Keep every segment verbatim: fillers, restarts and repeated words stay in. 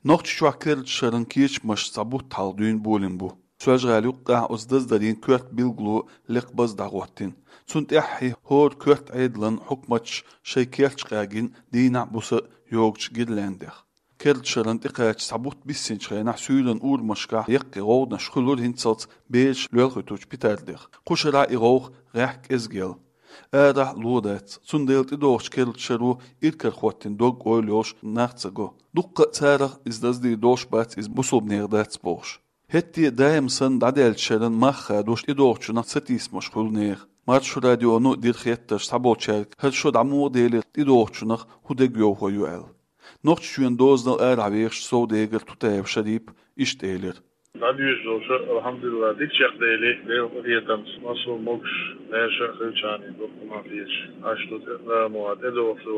Нохчийчохь керла шеран кечамаш цхьа бутт хьалха дуьйна болийна бу. Соьлжа-ГӀалин юккъехь оцу даздарийн коьрта билгало лекха база дӀахӀоттийна. Цунна тӀаьххье хӀора коьрта Ӏедалан хьукматаш шайн керташ къегина дийнахь а, буса а йогучу гирляндаех. Керла шеран тӀекхача цхьа бутт биссинчу хенахь суьйранна урамашкахь яккхий гӀовгӀанаш хуьлура, хӀинццалц бераш лоьлхуьйтучу петардех. Кху шарахь и гӀовгӀа гӀеххьа кӀезиг елла. Арахь ло дац, цундела тӀедогӀучу керла шаро иракарахӀоттийна дог-ойла йолуш нах ца го. Дуккха а царах иза даздийр долуш бац, иза бусулбанех дац бохуш. ХӀетте а даим санна дӀадаьллачу шеран мах хадош тӀедогӀучунах сатийсамаш хуьлу нехан. Маршо радионо а дира хеттарш цхьаболчаьрга, хӀара шо дӀа муха делира, тӀедогӀучунах хӀун дегайовхо ю аьлла. Нохчийчоьнан дозанал арахь вехаш совдегара Тутаев Шарип иштта элира: ДӀадоьжуш долу шо, алхьамдулиллахӀ, дика чекхдели, Делан къинхетамца, массо а могуш, маьрша а хилчахьана, дуккха ма хеташ, Ӏаш ду тӀе, а, ма тӀедогӀучу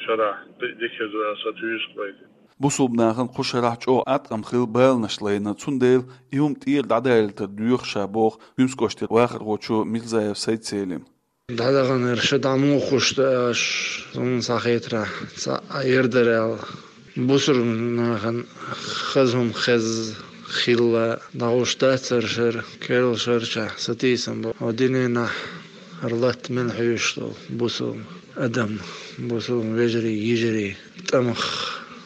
шарахь кхин а дика хир ду аьлла, сан туьйсу вай. Бусулба нахана кху шарахь чӀогӀа Ӏаткъам хилла баланаш лайна, цундела и хӀума тӀера дӀадаийтар доьху ша, боху Куьмсакоштера вахархочо Мирзаев Сайд-Селима. ДӀадаханера шо дӀа муха хуьлуш ду аьлла, суна схьахетарехь, цхьаъ яр дара аьлла. Бусулба нахана хаза хӀума хезна хилла, дӀахьуш дац хӀара шера, керла шерчохь сатийсам бу. Хьо динехь хӀара латта мел хьоьжуш долу бусулба адам, бусулба вежарий, йижарий, тӀамах,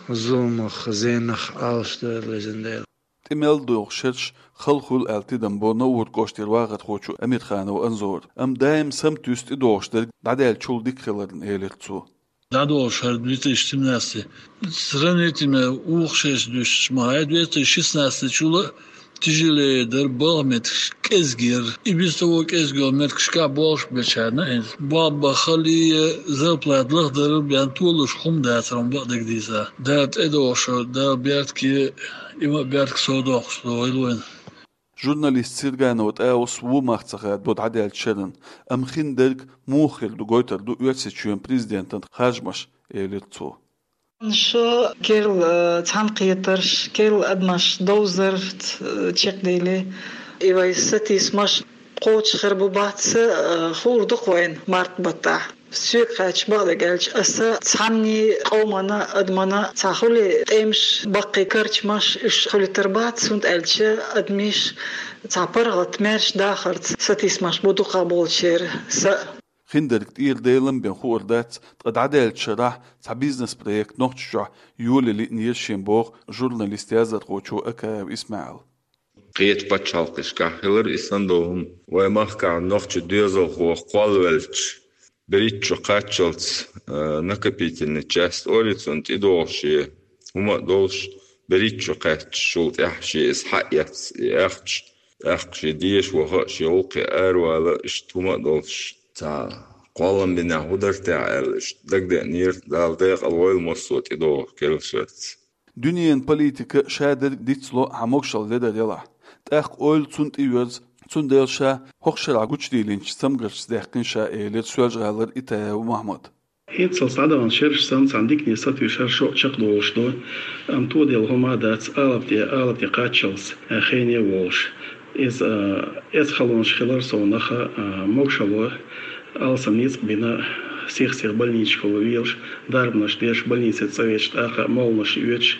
зуламах, зенах Ӏалашдойла, везан Дела. ТӀе мел догӀу шераш хала хуьлу аьлла тидам бо Науран кӀоштера вахархочо Амирханов Анзора. Амма даим саматуьйсу тӀедогӀуш дерг дӀадаьллачул дика хиларна, элира цо. ДӀадолуш хӀара две тысячи семнадцатый сравнительно вукху шерашца дуьстича ма хьай, две тысячи шестнадцатый чул а тяжелее дара, балха меттигаш кӀезиг яра. И без того кӀезиг йолу меттигашкахь болуш бечарна, хӀинца болх бан хала, зарплата лахдарал бен толуш хӀума дацара, хӀума бакъдерг дийца. Дала тӀедогӀуш, Дала беркате, и ма беркате совдоккхуш дойла вайна. Журналист Серганов ТӀаус ву мах ца хадабо дӀадаьллачу шеран, амма хиндерг муха хир ду гойтур ду Оьрсийчоьнан президентан харжамаш, элира цо. Шо керла, э, цхьаьнакхетарш, керла адамаш довзар, э, чекхдели. И вай сатийсамаш кхочуш хир бу бац, э, хуур ду-кх вайна март баттахь. Соьга хаьттича, бакъдерг аьлча, аса цхьанний къомана, адамана цхьа хуьлий тӀемаш, баккхий карчамаш, уьш хуьлуьйтур бац, хӀунда аьлча адамаш цхьа паргӀат, маьрша дахарца сатийсамаш бу дукхахболчеран са. Хиндерг тӀера Делан бен хуур дац, ткъа дӀадаьллачу шарахь цхьа бизнес-проект Нохчийчохь йолале лиънера шен, боху журналист, яздархочо Акаев ИсмаӀила. Кхечу пачхьалкхашкахь хилира и санна долу хӀума. Вайн махкахь нохчийн доьзалхо кхоллавелча, берхӀитта шо кхаччалц, а, накопительный часть олий цунна, тӀедогӀуш я, хӀума а долуш, берхӀитта шо кхаьчча, шул тӀаьхьа шен иза схьаэцна, и ахча, тӀаккха шен деша ваха а, шен гӀуллакхе аравала а, иштта хӀума а долуш, цхьа кхоллам бинехь хӀун дара техьа аьлла, иштта дагадеанера, Дала декъал войла массо а тӀедогӀу керла шерца. Дуьненан политика шадерг дицло хьан могушалла ледар ялахь. ТӀаккха ойла цунна тӀеоьрзу, цундела ша хӀокху шарахь гучудийлинчу цамгаршца даьккхина ша, элира Соьлжа-ГӀалара Итаев Мохьмада. ХӀинццалц дӀадаханчу шерашца санна, цхьана дикане сатуьйсуш хӀара шо а чекхдолуш ду, амма тоделла хӀума а дац, алапа тӀе, алапа тӀе кхаччалц, а, хене а волуш. Иза, а, эцхалонаш хилар совнаха, а, могушалла, алсам ницкъ бина, сих-сиха больницашкахула велаш, дарбанаш деш, больнице цӀа веача тӀаккха а молханаш оьцуш,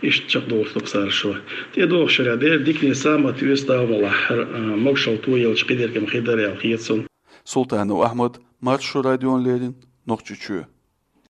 иштта чекхдолуш ду-кх цара шо. ТӀедогӀучу шарахь дера дикане самат вуьйцу, Дала мукъ лахь, хӀара, а, могушалла тоелча кхидерг-м хир дара аьлла хета суна. Султанов Ахьмад, Маршо радиона леррина, Нохчийчоь.